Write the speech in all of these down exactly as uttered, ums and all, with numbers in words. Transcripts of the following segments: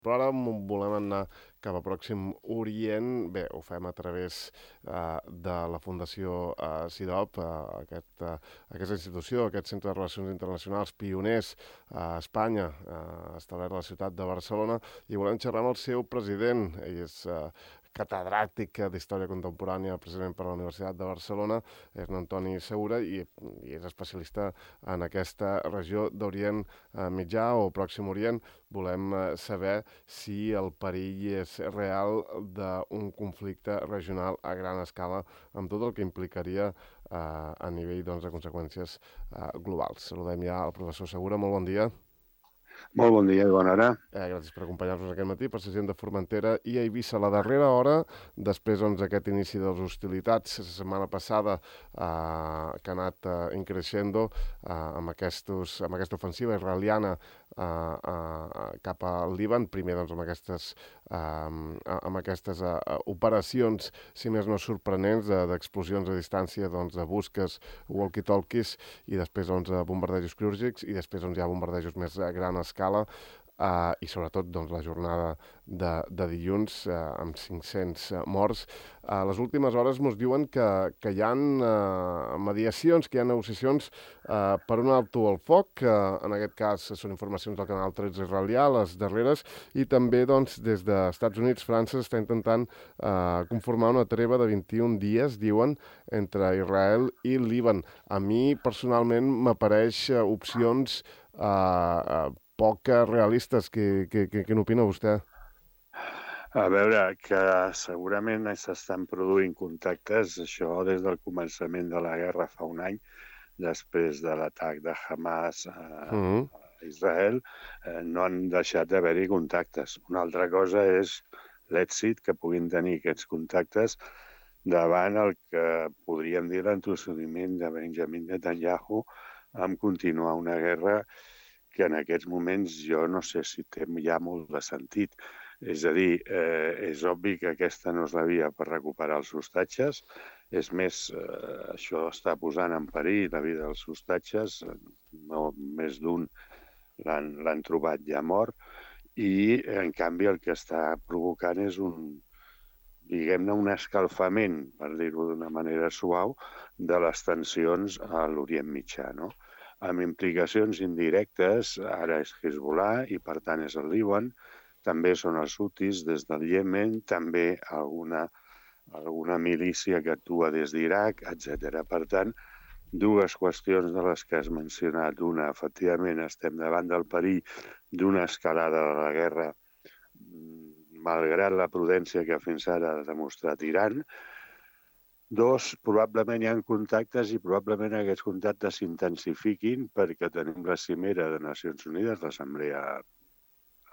Però ara volem anar cap a Pròxim Orient. Bé, ho fem a través eh, de la Fundació eh, CIDOB, eh, aquest, eh, aquesta institució, aquest centre de relacions internacionals pioners a Espanya, eh, establert a la ciutat de Barcelona, i volem xerrar amb el seu president. Ell és eh, catedràtic d'Història Contemporània, precisament per la Universitat de Barcelona, és en Antoni Segura, i, i és especialista en aquesta regió d'Orient eh, Mitjà o Pròxim Orient. Volem eh, saber si el perill és real d'un conflicte regional a gran escala, amb tot el que implicaria eh, a nivell doncs, de conseqüències eh, globals. Saludem ja al professor Segura. Molt bon dia. Molt bon dia i bona hora. Eh, gràcies per acompanyar-nos aquest matí per ser gent de Formentera i Eivissa. A la darrera hora, després doncs, d'aquest inici de les hostilitats, la setmana passada, eh, que ha anat eh, increixendo eh, amb, aquestos, amb aquesta ofensiva israeliana eh, eh, cap al Líban, primer doncs, amb aquestes, eh, amb aquestes eh, operacions, si més no sorprenents, d'explosions a distància, doncs, de busques, walkie-talkies, i després doncs, bombardejos quirúrgics, i després doncs, hi ha bombardejos més a gran escala, Uh, i sobretot doncs, la jornada de, de dilluns uh, amb cinc-cents uh, morts. A uh, les últimes hores ens diuen que, que hi ha uh, mediacions, que hi ha negociacions uh, per un alto al foc, que uh, en aquest cas són informacions del canal tretze israelià, les darreres, i també doncs, des dels Estats Units, França està intentant uh, conformar una treva de vint-i-un dies, diuen, entre Israel i Líban. A mi personalment m'apareix uh, opcions uh, uh, poc realistes. Què, què, què, què n'opina vostè? A veure, que segurament s'estan produint contactes, això des del començament de la guerra fa un any, després de l'atac de Hamas a, mm-hmm. a Israel, eh, no han deixat d'haver-hi contactes. Una altra cosa és l'èxit que puguin tenir aquests contactes davant el que podríem dir l'entossudiment de Benjamin Netanyahu amb continuar una guerra que en aquests moments jo no sé si té ja molt de sentit. És a dir, eh, és obvi que aquesta no és la via per recuperar els hostatges. És més, eh, això està posant en perill la vida dels hostatges. No, més d'un l'han trobat ja mort. I, en canvi, el que està provocant és un, diguem-ne, un escalfament, per dir-ho d'una manera suau, de les tensions a l'Orient Mitjà, no? Amb implicacions indirectes, ara és Hezbollah i per tant és el Líban, també són els hutis des del Iemen, també alguna, alguna milícia que actua des d'Iraq, etcètera. Per tant, dues qüestions de les que has mencionat. Una, efectivament, estem davant del perill d'una escalada de la guerra, malgrat la prudència que fins ara ha demostrat Iran. Dos, probablement hi ha contactes i probablement aquests contactes s'intensifiquin perquè tenim la cimera de Nacions Unides, l'Assemblea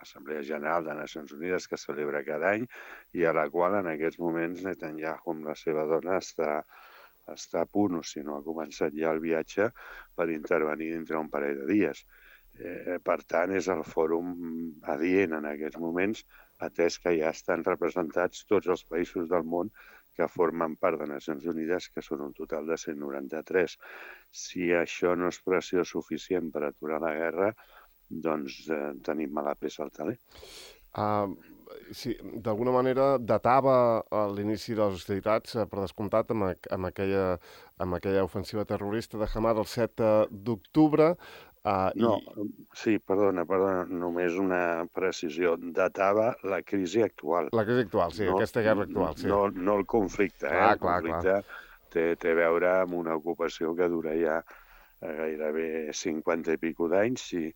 l'Assemblea General de Nacions Unides que celebra cada any i a la qual en aquests moments Netanyahu amb la seva dona està, està a punt, o si no ha començat ja el viatge per intervenir dintre un parell de dies. Eh, per tant, és el fòrum adient en aquests moments, atès que ja estan representats tots els països del món que formen part de Nacions Unides, que són un total de cent noranta-tres. Si això no és pressió suficient per aturar la guerra, doncs eh, tenim mala peça al taler. Uh, sí, d'alguna manera datava l'inici de les hostilitats, eh, per descomptat, amb, amb, aquella, amb aquella ofensiva terrorista de Hamas el set d'octubre. Uh, no, i... sí, perdona, perdona, només una precisió. Datava la crisi actual. La crisi actual, sí, no, aquesta guerra actual, sí. No, no el conflicte, clar, eh? El clar, conflicte clar. Té, té a veure amb una ocupació que dura ja gairebé cinquanta i pico d'anys, si,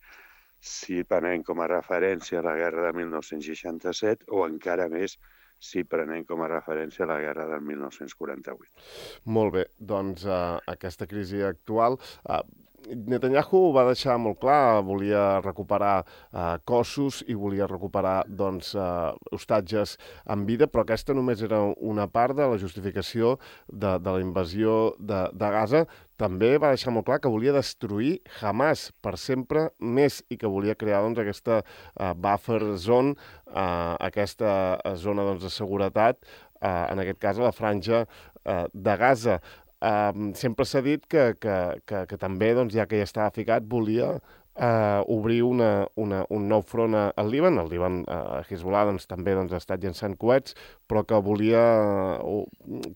si prenem com a referència la guerra de mil nou-cents seixanta-set o encara més si prenem com a referència la guerra del mil nou-cents quaranta-vuit. Molt bé, doncs uh, aquesta crisi actual... Uh, Netanyahu va deixar molt clar, volia recuperar eh, cossos i volia recuperar doncs, eh, hostatges en vida, però aquesta només era una part de la justificació de, de la invasió de, de Gaza. També va deixar molt clar que volia destruir Hamas per sempre més i que volia crear doncs, aquesta eh, buffer zone, eh, aquesta zona doncs, de seguretat, eh, en aquest cas a la franja eh, de Gaza. Uh, sempre s'ha dit que, que, que, que també, doncs, ja que ja estava ficat, volia Uh, obrir una, una, un nou front al Líban. El Líban, uh, Hezbollah, doncs, també doncs, ha estat llançant coets, però que volia uh,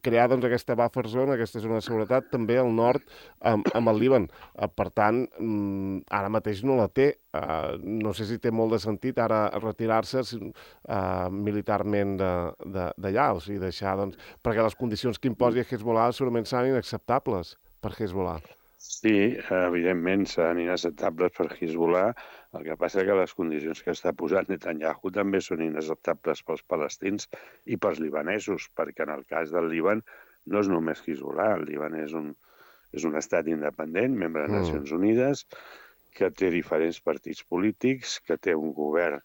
crear doncs, aquesta buffer zone, aquesta zona de seguretat, també al nord amb, amb el Líban. Uh, per tant, um, ara mateix no la té. Uh, no sé si té molt de sentit ara retirar-se uh, militarment d'allà, o sigui, deixar, doncs, perquè les condicions que imposi Hezbollah segurament seran inacceptables per Hezbollah. Sí, evidentment seran inacceptables per Hezbollah. El que passa és que les condicions que està posant Netanyahu també són inacceptables pels palestins i pels libanesos, perquè en el cas del Líban no és només Hezbollah. El Líban és un, és un estat independent, membre de Mm. Nacions Unides, que té diferents partits polítics, que té un govern,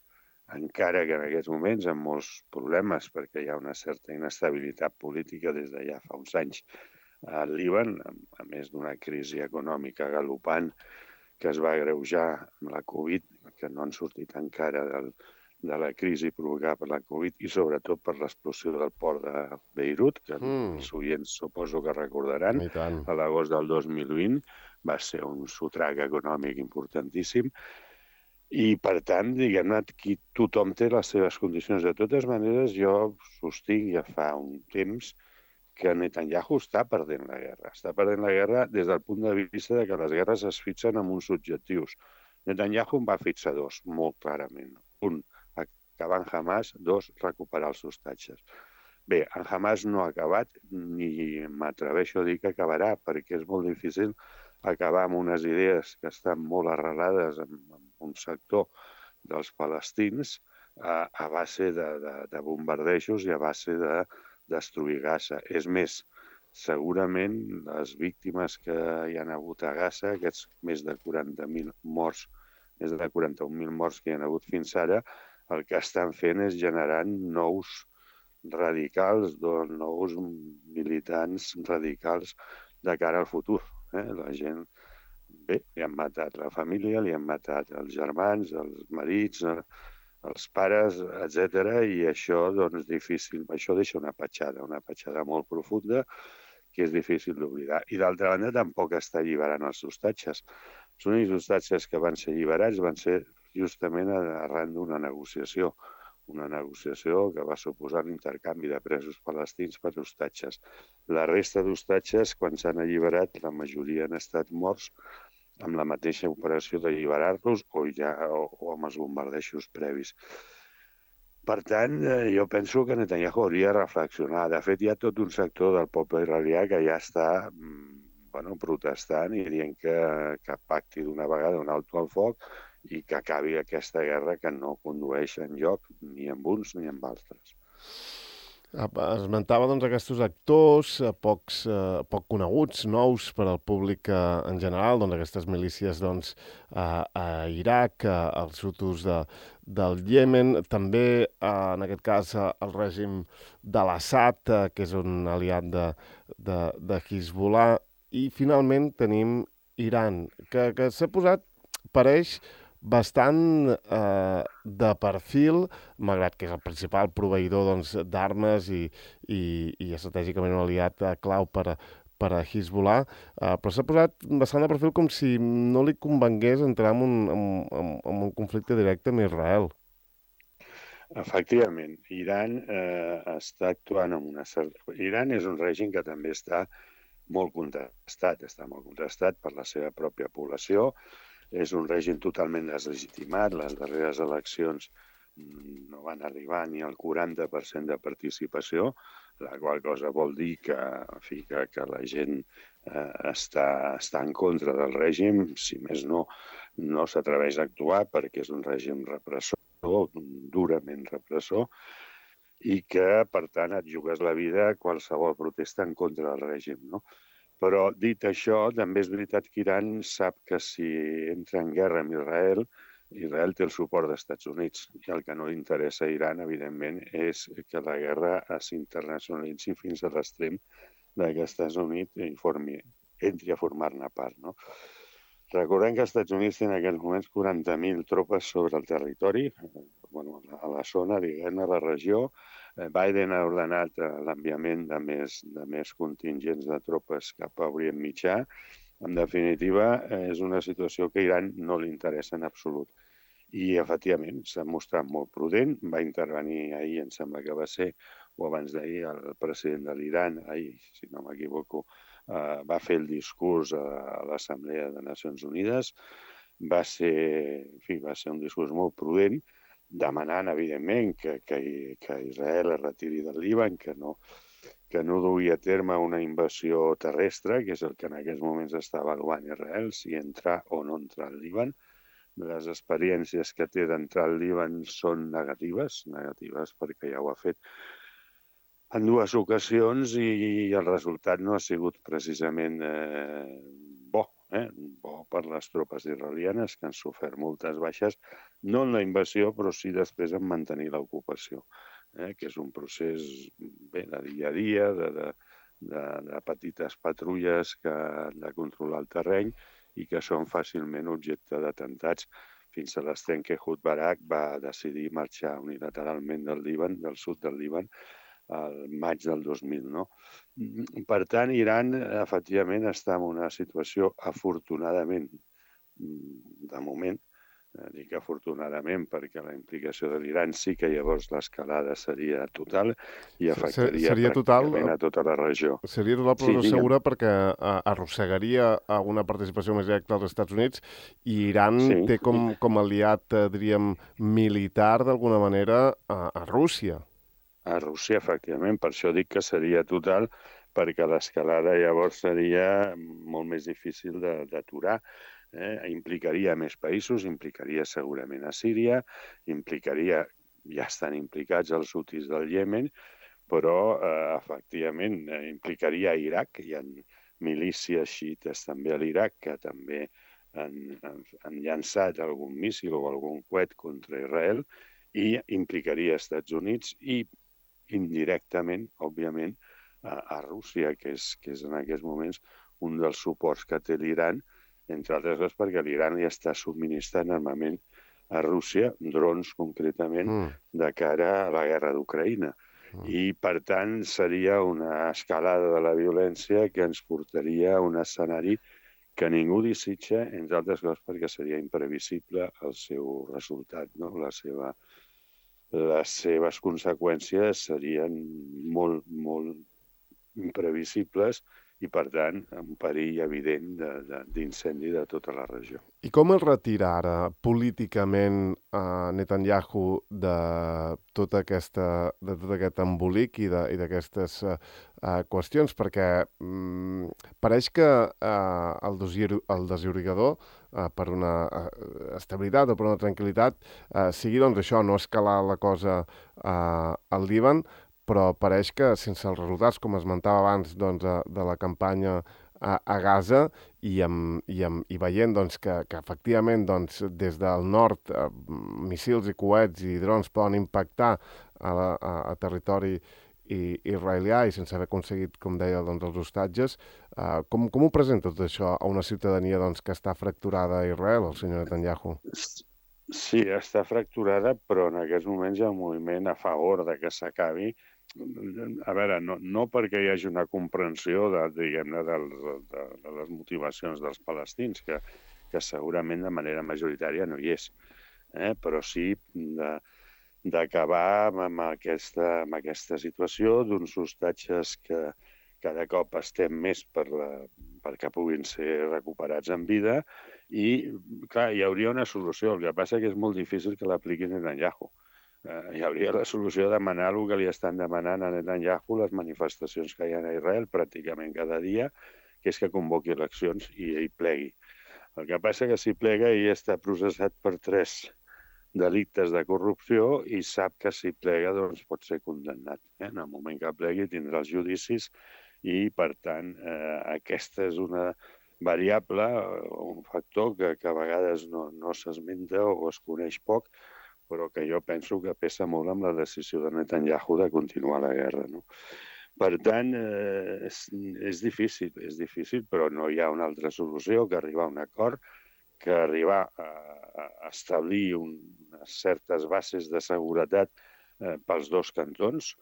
encara que en aquests moments amb molts problemes, perquè hi ha una certa inestabilitat política des de ja fa uns anys al Líban, a més d'una crisi econòmica galopant que es va agreujar amb la Covid, que no han sortit encara del, de la crisi provocada per la Covid i sobretot per l'explosió del port de Beirut, que mm. els oients suposo que recordaran, a l'agost del dos mil vint va ser un sotrac econòmic importantíssim. I, per tant, diguem-ne, aquí tothom té les seves condicions. De totes maneres, jo sostinc ja fa un temps que Netanyahu està perdent la guerra. Està perdent la guerra des del punt de vista de que les guerres es fixen amb uns objectius. Netanyahu en va fixar dos, molt clarament. Un, acabar en Hamas. Dos, recuperar els ostatges. Bé, en Hamas no ha acabat, ni m'atreveixo a dir que acabarà, perquè és molt difícil acabar amb unes idees que estan molt arrelades en, en un sector dels palestins a, a base de, de, de bombardejos i a base de destruir Gaza. És més, segurament les víctimes que hi han hagut a Gaza, aquests més de quaranta mil morts, més de quaranta-un mil morts que hi ha hagut fins ara, el que estan fent és generant nous radicals, doncs, nous militants radicals de cara al futur. Eh? La gent, bé, li han matat la família, li han matat els germans, els marits, els pares, etcètera, i això, doncs, difícil. Això deixa una petjada, una petjada molt profunda, que és difícil d'oblidar. I d'altra banda, tampoc està alliberant els ostatges. Els únics ostatges que van ser alliberats van ser justament arran d'una negociació, una negociació que va suposar l'intercanvi de presos palestins per ostatges. La resta d'ostatges, quan s'han alliberat, la majoria han estat morts amb la mateixa operació d'alliberar-los o, ja, o, o amb els bombardejos previs. Per tant, jo penso que Netanyahu hauria de reflexionar. De fet, hi ha tot un sector del poble israelià que ja està bueno, protestant i dient que, que pacti d'una vegada un alto al foc i que acabi aquesta guerra que no condueix enlloc ni amb uns ni amb altres. Esmentava doncs, aquests actors eh, pocs, eh, poc coneguts, nous per al públic eh, en general, doncs, aquestes milícies doncs, a, a Iraq, eh, els hutus de, del Iemen, també eh, en aquest cas eh, el règim de l'Assad, eh, que és un aliat de, de, de Hezbollah, i finalment tenim Iran, que, que s'ha posat, pareix, bastant eh, de perfil, malgrat que és el principal proveïdor doncs, d'armes i, i, i estratègicament un aliat eh, clau per a, per a Hezbollah, eh, però s'ha posat bastant de perfil com si no li convengués entrar en un, en, en, en un conflicte directe amb Israel. Efectivament, Iran eh, està actuant amb una certa... Iran és un règim que també està molt contestat, està molt contestat per la seva pròpia població. És un règim totalment deslegitimat. Les darreres eleccions no van arribar ni al quaranta per cent de participació, la qual cosa vol dir que, en fi, que, que la gent eh, està, està en contra del règim. Si més no, no s'atreveix a actuar perquè és un règim repressor, durament repressor, i que, per tant, et jugues la vida a qualsevol protesta en contra del règim, no? Però, dit això, també és veritat que Iran sap que si entra en guerra amb Israel, Israel té el suport dels Estats Units. I el que no li interessa a Iran, evidentment, és que la guerra s'internacionalitzi fins a l'extrem que els Estats Units informi, entri a formar-ne part, no? Recordem que els Estats Units tenen en aquests moments quaranta mil tropes sobre el territori, bueno, a la zona, diguem-ne, a la regió. Biden ha ordenat l'enviament de més, de més contingents de tropes cap a Orient Mitjà En definitiva, és una situació que a Iran no li interessa en absolut. I, efectivament, s'ha mostrat molt prudent. Va intervenir ahir, em sembla que va ser, o abans d'ahir, el president de l'Iran, ahir, si no m'equivoco, eh, va fer el discurs a l'Assemblea de Nacions Unides. Va ser, en fi, va ser un discurs molt prudent, demanant, evidentment, que, que, que Israel es retiri del Líban, que no, que no dugui a terme una invasió terrestre, que és el que en aquests moments està avaluant Israel, si entrar o no entrar al Líban. Les experiències que té d'entrar al Líban són negatives, negatives perquè ja ho ha fet en dues ocasions i el resultat no ha sigut precisament eh, bo, eh? bo per les tropes israelianes, que han sofert moltes baixes, no en la invasió, però sí després en mantenir l'ocupació, eh? que és un procés bé, de dia a dia, de, de, de, de petites patrulles que han de controlar el terreny i que són fàcilment objecte d'atemptats. Fins a l'estent que Ehud Barak va decidir marxar unilateralment del Líban, del sud del Líban, al maig del dos mil, no? Per tant, Iran, efectivament, està en una situació, afortunadament, de moment, dic afortunadament perquè la implicació de l'Iran sí que llavors l'escalada seria total i afectaria seria pràcticament total, a tota la regió. Seria total, però sí, no segura perquè arrossegaria una participació més directa als Estats Units i Iran sí. té com, com aliat, diríem, militar d'alguna manera a, a Rússia. A Rússia, efectivament, per això dic que seria total, perquè l'escalada llavors seria molt més difícil d'aturar. Eh? Implicaria més països, implicaria segurament a Síria, implicaria, ja estan implicats els hutis del Iemen, però eh, efectivament eh, implicaria a Iraq. Hi ha milícies xiites també a l'Iraq que també han, han llançat algun míssil o algun coet contra Israel i implicaria als Estats Units i indirectament, òbviament, a, a Rússia, que és, que és en aquests moments un dels suports que té l'Iran, entre altres coses perquè l'Iran li està subministrant armament a Rússia, drons concretament, mm. de cara a la guerra d'Ucraïna. Mm. I, per tant, seria una escalada de la violència que ens portaria a un escenari que ningú desitja, entre altres coses perquè seria imprevisible el seu resultat, no? La seva, les seves conseqüències serien molt, molt imprevisibles i, per tant, un perill evident d'incendi de, de, de tota la regió. I com es retira ara políticament a Netanyahu de tota aquesta, de tot aquest embolic i d'aquestes uh, uh, qüestions? Perquè um, pareix que uh, el, dosir, el desiobrigador uh, per una uh, estabilitat o per una tranquil·litat uh, sigui doncs això, no escalar la cosa uh, al Líban, però pareix que sense els resultats, com esmentava abans, doncs, de, de la campanya a, a Gaza i, amb, i, amb, i veient doncs, que, que efectivament doncs, des del nord eh, missils i coets i drons poden impactar a, la, a, a territori i, israelià i sense haver aconseguit, com deia, doncs, els hostatges, eh, com, com ho presenta tot això a una ciutadania doncs, que està fracturada a Israel, el senyor Netanyahu? Sí, està fracturada, però en aquests moments hi ha un moviment a favor de que s'acabi. A veure, no, no perquè hi hagi una comprensió de, diguem-ne, de, de, de les motivacions dels palestins, que, que segurament de manera majoritària no hi és, eh? Però sí d'acabar amb, aquesta, amb aquesta situació d'uns hostatges que cada cop estem més per la, perquè puguin ser recuperats en vida i, clar, hi hauria una solució. El que passa és que és molt difícil que l'apliquin Netanyahu. Uh, hi hauria la solució de demanar el que li estan demanant a Netanyahu les manifestacions que hi ha a Israel pràcticament cada dia, que és que convoqui eleccions i ell plegui. El que passa que si plega ell està processat per tres delictes de corrupció i sap que si plega doncs, pot ser condemnat. Eh? En el moment que plegui tindrà els judicis i, per tant, eh, aquesta és una variable, un factor que, que a vegades no, no s'esmenta o es coneix poc, però que jo penso que pesa molt amb la decisió de Netanyahu de continuar la guerra, no? Per tant, eh, és, és difícil, és difícil, però no hi ha una altra solució que arribar a un acord, que arribar a, a establir un, unes certes bases de seguretat eh, pels dos cantons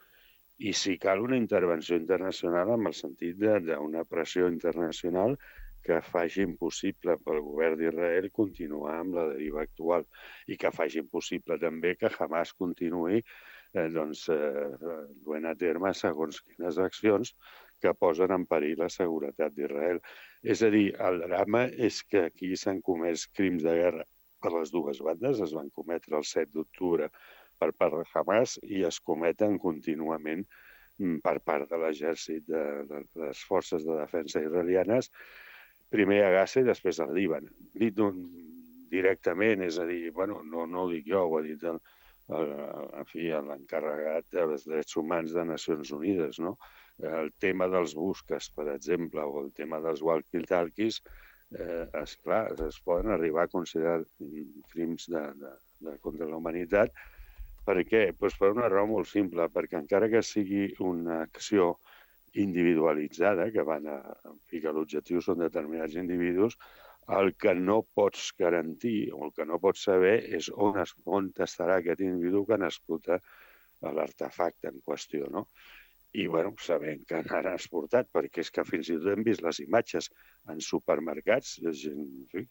i, si cal, una intervenció internacional en el sentit d'una pressió internacional que faci impossible pel govern d'Israel continuar amb la deriva actual i que faci impossible també que Hamas continuï eh, doncs, eh, duent a terme segons quines accions que posen en perill la seguretat d'Israel. És a dir, el drama és que aquí s'han comès crims de guerra per les dues bandes, es van cometre el set d'octubre per part de Hamas i es cometen contínuament per part de l'exèrcit de, de les forces de defensa israelianes, primer a Gaza i després al Líban. Dit directament, és a dir, bueno, no, no ho dic jo, ho ha dit el, el, en fi, l'encarregat dels drets humans de Nacions Unides, no? El tema dels busques, per exemple, o el tema dels walkie-talkies, eh, esclar, es poden arribar a considerar crims de, de, de contra la humanitat. Per què? Pues per una raó molt simple, perquè encara que sigui una acció individualitzada, que van a, en fi, que l'objectiu són determinats individus, el que no pots garantir o el que no pots saber és on, es, on estarà aquest individu que n'explota l'artefacte en qüestió, no? I, bueno, sabent que n'han exportat, perquè és que fins i tot hem vist les imatges en supermercats, gent, en fi,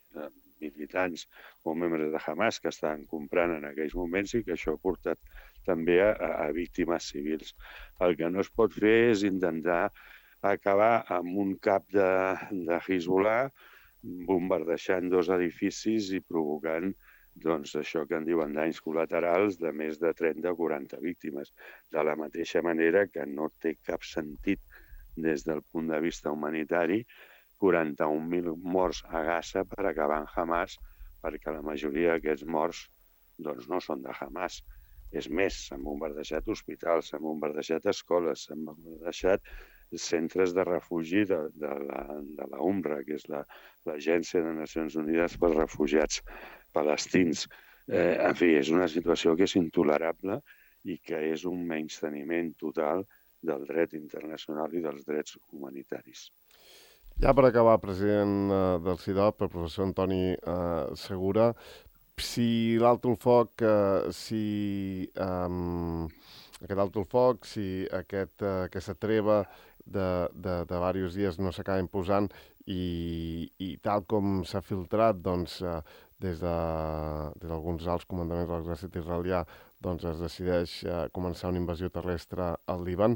militants o membres de Hamas que estaven comprant en aquells moments i que això ha portat també a, a víctimes civils. El que no es pot fer és intentar acabar amb un cap de, de Hezbollah bombardejant dos edificis i provocant doncs, això que en diuen danys col·laterals de més de trenta o quaranta víctimes. De la mateixa manera que no té cap sentit des del punt de vista humanitari quaranta-un mil morts a Gaza per acabar en Hamas, perquè la majoria d'aquests morts doncs, no són de Hamas. És més, s'han bombardejat hospitals, s'han bombardejat escoles, s'han bombardejat centres de refugi de, de la, de la UNRWA, que és l'Agència de Nacions Unides pels Refugiats Palestins. Eh, en fi, és una situació que és intolerable i que és un menysteniment total del dret internacional i dels drets humanitaris. Ja per acabar, president uh, del C I D O P, el professor Antoni uh, Segura, si l'alto el foc, uh, si um, aquest alto el foc, si aquest, uh, aquesta treva de, de, de diversos dies no s'acaba imposant i, i tal com s'ha filtrat doncs, uh, des d'alguns de, alts comandaments de l'exèrcit israelià doncs es decideix uh, començar una invasió terrestre al Líban,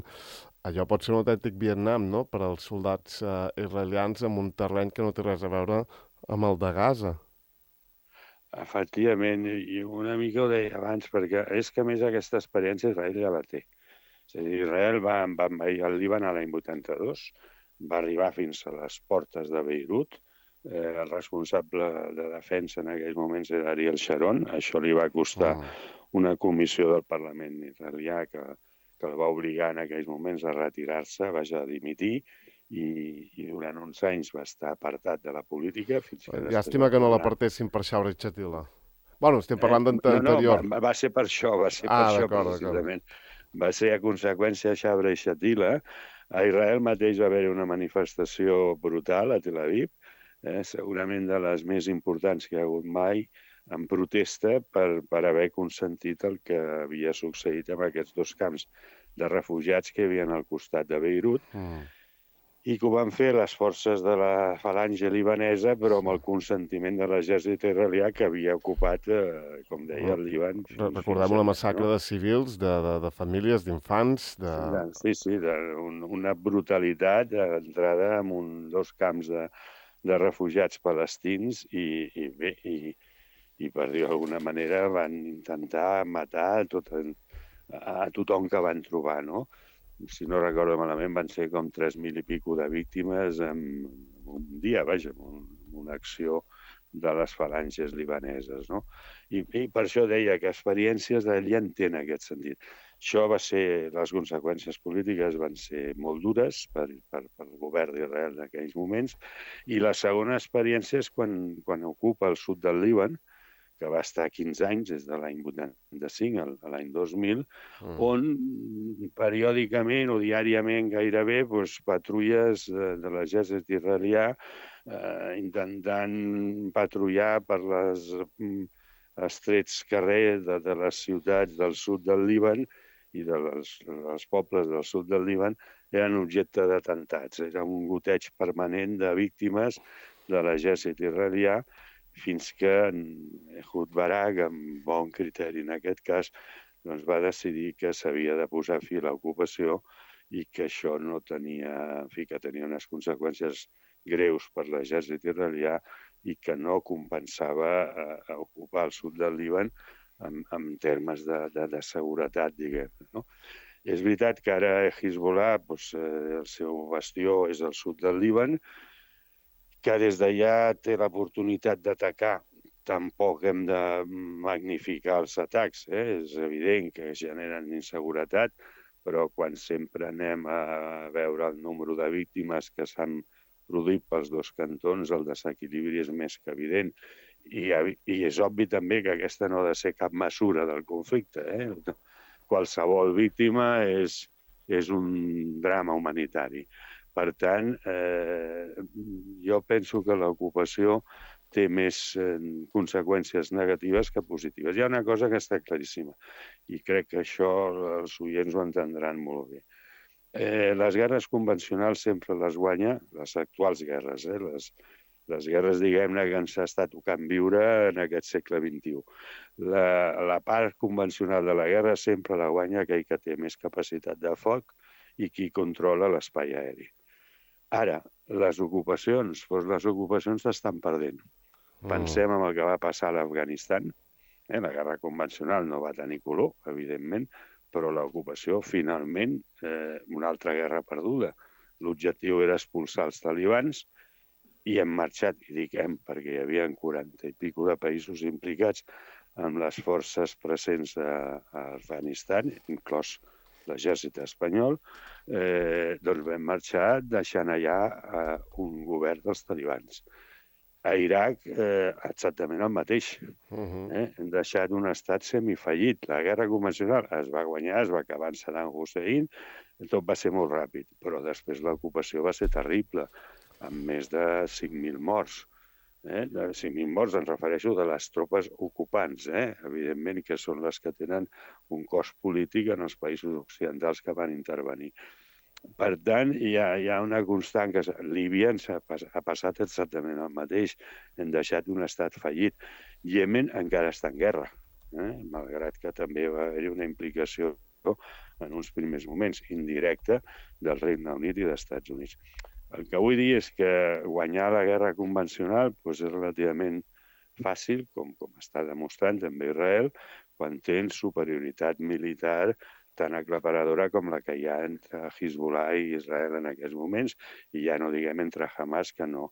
allò pot ser un autèntic Vietnam, no?, per als soldats uh, israelians en un terreny que no té res a veure amb el de Gaza. Efectivament, i una mica ho deia abans, perquè és que a més aquesta experiència Israel ja la té. És a dir, Israel va, va envair el Líban a l'any vuitanta-dos, va arribar fins a les portes de Beirut, eh, el responsable de defensa en aquells moments era Ariel Sharon, això li va costar mm. una comissió del Parlament israelià que, que el va obligar en aquells moments a retirar-se, vaja, a dimitir, i, i durant uns anys va estar apartat de la política. Fins que Llàstima que no l'apartessin per Xaure Chatila. Bueno, estem parlant d'anterior. Eh, no, no, va, va ser per això, va ser ah, per això precisament. Va ser a conseqüència de Xaure i Chatila. A Israel mateix va haver una manifestació brutal a Tel Aviv, eh, segurament de les més importants que hi ha hagut mai, en protesta per, per haver consentit el que havia succeït amb aquests dos camps de refugiats que hi havia al costat de Beirut, mm. i que ho van fer les forces de la falange libanesa, però amb el consentiment de l'exèrcit israelià que havia ocupat, eh, com deia, el Líban. Recordem una massacre, no?, de civils, de, de, de famílies, d'infants... De... Sí, sí, de, un, una brutalitat d'entrada en un, dos camps de, de refugiats palestins i, i bé, i, i per dir d'alguna manera van intentar matar a, tot, a tothom que van trobar, no? Si no recordo malament, van ser com tres mil i pico de víctimes en un dia, vaja, en una acció de les falanges libaneses, no? I, i per això deia que experiències d'ell ja en tenen aquest sentit. Això va ser, les conseqüències polítiques van ser molt dures per, per, per el govern d'Israel en aquells moments, i la segona experiència és quan, quan ocupa el sud del Líban, que va estar quinze anys, des de l'any vuitanta-cinc a l'any dos mil, mm. on periòdicament o diàriament gairebé doncs, patrulles de, de l'exèrcit israelià eh, intentant patrullar per les mm, estrets carrers de, de les ciutats del sud del Líban i de les, dels pobles del sud del Líban eren objecte d'atemptats. Era un goteig permanent de víctimes de l'exèrcit israelià, fins que Ehud Barak, amb bon criteri en aquest cas, doncs va decidir que s'havia de posar fi a l'ocupació i que això no tenia, en fi, que tenia unes conseqüències greus per l'exèrcit israelià i que no compensava a, a ocupar el sud del Líban en, en termes de, de, de seguretat, diguem, no? És veritat que ara Hezbollah, doncs, eh, el seu bastió és al sud del Líban, que des d'allà té l'oportunitat d'atacar. Tampoc hem de magnificar els atacs, eh? És evident que generen inseguretat, però quan sempre anem a veure el número de víctimes que s'han produït pels dos cantons, el desequilibri és més que evident. I, i és obvi també que aquesta no ha de ser cap mesura del conflicte. Eh? Qualsevol víctima és, és un drama humanitari. Per tant, eh, jo penso que l'ocupació té més eh, conseqüències negatives que positives. Hi ha una cosa que està claríssima, i crec que això els oients ho entendran molt bé. Eh, les guerres convencionals sempre les guanya, les actuals guerres, eh, les, les guerres, diguem-ne, que ens està tocant viure en aquest segle vint-i-u. La, la part convencional de la guerra sempre la guanya aquell que té més capacitat de foc i qui controla l'espai aeri. Ara, les ocupacions, doncs les ocupacions s'estan perdent. Pensem en el que va passar a l'Afganistan. Eh? La guerra convencional no va tenir color, evidentment, però l'ocupació, finalment, eh, una altra guerra perduda. L'objectiu era expulsar els talibans i hem marxat, i dic hem, perquè hi havia quaranta i pico de països implicats amb les forces presents a, a Afganistan, inclòs l'exèrcit espanyol, eh, doncs vam marxar deixant allà eh, un govern dels talibans. A Iraq, eh, exactament el mateix. Uh-huh. eh? Hem deixat un estat semifallit. La guerra convencional es va guanyar, es va acabar en Saddam Hussein, tot va ser molt ràpid, però després l'ocupació va ser terrible, amb més de cinc mil morts. Eh? De cinc mil morts, em refereixo de les tropes ocupants, eh? Evidentment que són les que tenen un cost polític en els països occidentals que van intervenir. Per tant, hi ha, hi ha una constant que Líbia ens ha, ha passat exactament el mateix. Hem deixat un estat fallit. Iemen encara està en guerra, eh? Malgrat que també va haver-hi una implicació en uns primers moments indirecta del Regne Unit i dels Estats Units. El que vull dir és que guanyar la guerra convencional doncs, és relativament fàcil, com, com està demostrant també Israel, quan tens superioritat militar tan aclaparadora com la que hi ha entre Hezbollah i Israel en aquests moments, i ja no diguem entre Hamas, que no,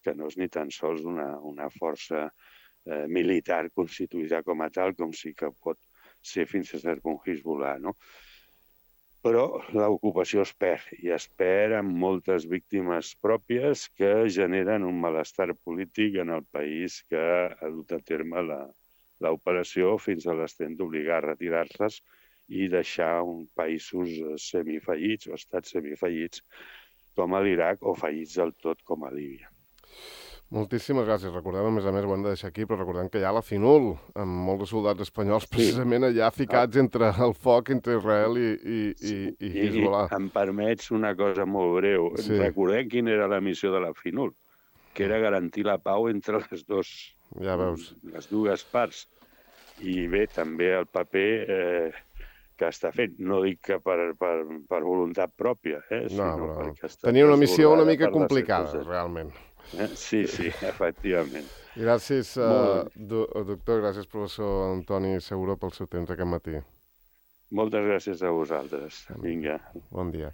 que no és ni tan sols una, una força eh, militar constituïda com a tal, com sí que pot ser fins a cert punt Hezbollah, no? Però l'ocupació es perd, i es perd amb moltes víctimes pròpies que generen un malestar polític en el país que ha dut a terme l'operació fins a l'extent d'obligar a retirar-les i deixar un països semifallits o estats semifallits com a l'Iraq o fallits del tot com a Líbia. Moltíssimes gràcies. Recordem, a més a més, ho hem de deixar aquí, però recordem que hi ha la FINUL, amb molts de soldats espanyols precisament allà ficats entre el foc entre Israel i, i, i, i Hezbollah. I em permets una cosa molt breu. Sí. Recordem quina era la missió de la FINUL, que era garantir la pau entre les, dos, ja veus. les dues parts. I bé, també el paper eh, que està fent. No dic que per, per, per voluntat pròpia, eh, no, sinó no. perquè està tenia una missió una mica complicada, realment. Sí, sí, efectivament. Gràcies, uh, doctor, gràcies, professor Antoni Seguro, pel seu temps aquest matí. Moltes gràcies a vosaltres. Vinga. Bon dia.